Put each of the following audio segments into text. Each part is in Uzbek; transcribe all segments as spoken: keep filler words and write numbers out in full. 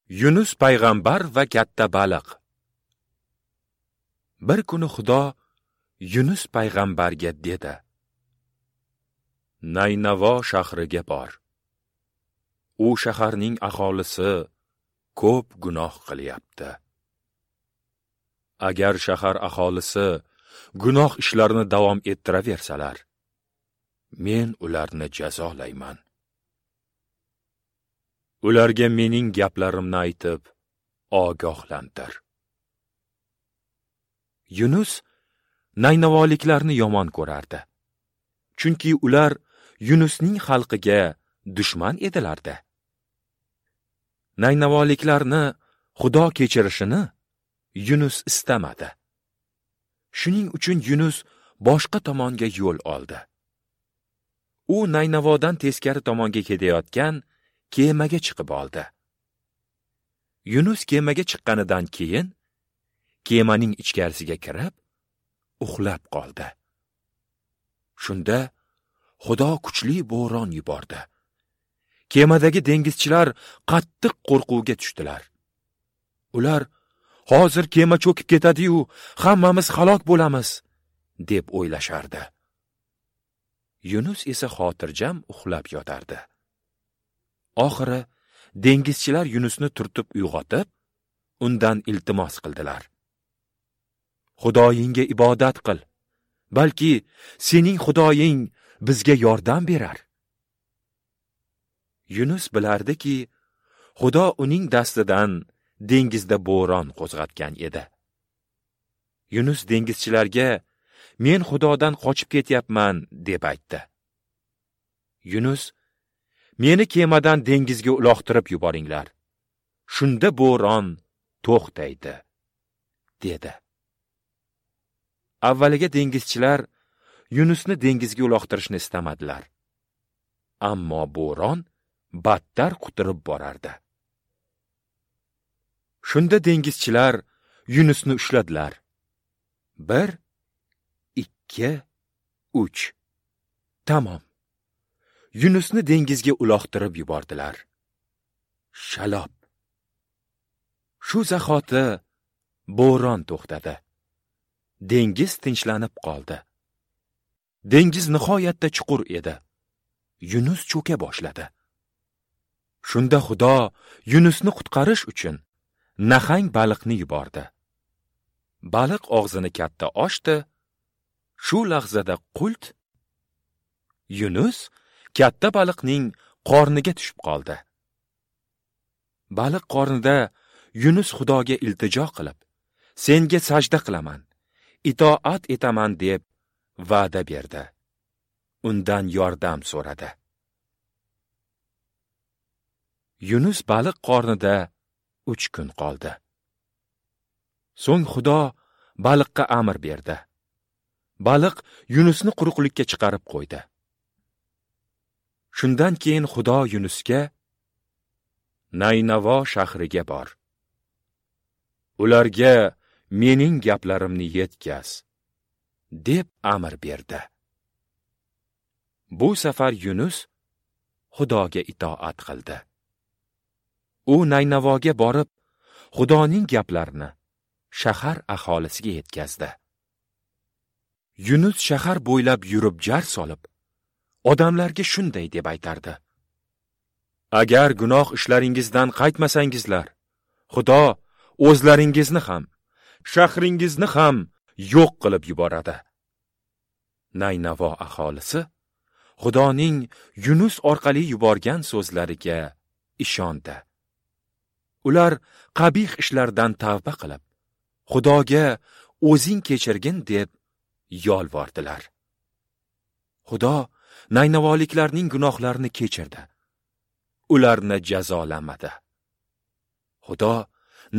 Yunus payg'ambar va katta baliq. Bir kuni Xudo Yunus payg'ambarga dedi: Naynavo shahriga bor. U shaharning aholisi ko'p gunoh qilyapti. Agar shahar aholisi gunoh ishlarini davom ettiraversalar, men ularni jazolayman. Ularga mening gaplarimni aytib, ogohlantir. Yunus naynavoliklarni yomon ko'rardi. Chunki ular Yunusning xalqiga dushman edilar-da. Naynavoliklarni Xudo kechirishini Yunus istamadi. Shuning uchun Yunus boshqa tomonga yo'l oldi. U Naynavodan teskari tomonga ketayotgan kemaga chiqib oldi. Yunus kemaga chiqqanidan keyin kemaning ichkarisiga kirib uxlab qoldi. Shunda Xudo kuchli bo'ron yubordi. Kemadagi dengizchilar qattiq qo'rquvga tushdilar. Ular hozir kema cho'kib ketadi-yu, hammamiz halok bo'lamiz, deb o'ylashardi. Yunus esa xotirjam uxlab yotardi. Oxiri dengizchilar Yunusni turtib uyg'otib, undan iltimos qildilar. Xudoyingga ibodat qil, balki sening Xudoying bizga yordam berar. Yunus bilardiki, Xudo uning dastidan dengizda bo'ron qo'zg'atgan edi. Yunus dengizchilarga men Xudodan qochib ketyapman deb aytdi. Yunus meni kemadan dengizga uloqtirib yuboringlar. Shunda bo'ron to'xtaydi, dedi. Avvaliga dengizchilar Yunusni dengizga uloqtirishni istamadilar. Ammo bo'ron battar quturib borardi. Shunda dengizchilar Yunusni ushladilar. Bir, ikki, uch. Tamom. Yunusni dengizga uloqtirib yubordilar. Shalob. Shu zahoti bo'ron to'xtadi. Dengiz tinchlanib qoldi. Dengiz nihoyatda chuqur edi. Yunus cho'ka boshladi. Shunda Xudo Yunusni qutqarish uchun nahang baliqni yubordi. Baliq og'zini katta ochdi. Shu lahzada qult Yunus katta baliqning qorniga tushib qoldi. Baliq qornida Yunus Xudoga iltijo qilib, senga sajda qilaman, itoat etaman deb va'da berdi. Undan yordam so'radi. Yunus baliq qornida uch kun qoldi. So'ng Xudo baliqqa amr berdi. Baliq Yunusni quruqlikka chiqarib qo'ydi. Shundan keyin Xudo Yunusga Naynavo shahriga bor. Ularga mening gaplarimni yetkaz, deb amr berdi. Bu safar Yunus Xudoga itoat qildi. U Naynavoga borib, Xudoning gaplarini shahar aholisiga yetkazdi. Yunus shahar bo'ylab yurib jar solib, odamlarga shunday deb aytardi: Agar gunoh ishlaringizdan qaytmasangizlar, Xudo o'zlaringizni ham, shahringizni ham yo'q qilib yuboradi. Naynavo aholisi Xudoning Yunus orqali yuborgan so'zlariga ishondi. Ular qabih ishlardan tavba qilib, Xudoga o'zing kechirgin deb yolvordilar. Xudo naynavoliklarning gunohlarini kechirdi. Ularni jazolamadi. Xudo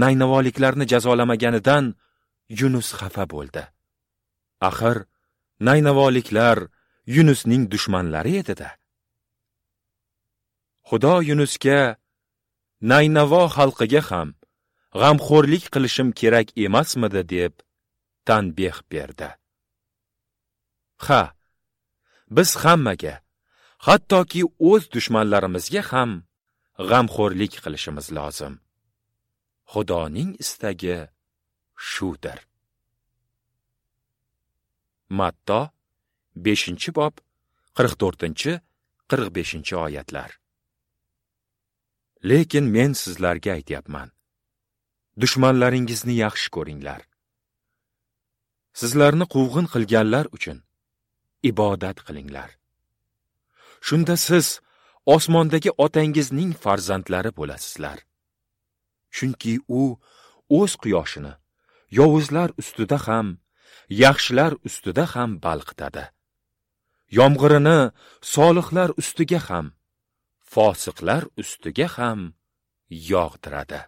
naynavoliklarni jazolamaganidan Yunus xafa bo'ldi. Axir naynavoliklar Yunusning dushmanlari edi-da. Xudo Yunusga Naynavo xalqiga ham g'amxo'rlik qilishim kerak emasmidi deb tanbeh berdi. Ha, biz hammaga, hattoki o'z dushmanlarimizga ham g'amxo'rlik qilishimiz lozim. Xudoning istagi shudir. Matto beshinchi bob qirq to'rtinchi qirq beshinchi oyatlar. Lekin men sizlarga aytyapman. Dushmanlaringizni yaxshi ko'ringlar. Sizlarni quvg'in qilganlar uchun ibodat qilinglar. Shunda siz osmondagi otangizning farzandlari bo'lasizlar. Chunki u o'z quyoshini yovuzlar ustida ham, yaxshilar ustida ham balqitadi. Yomg'irini solihlar ustiga ham, fosiqlar ustiga ham yog'diradi.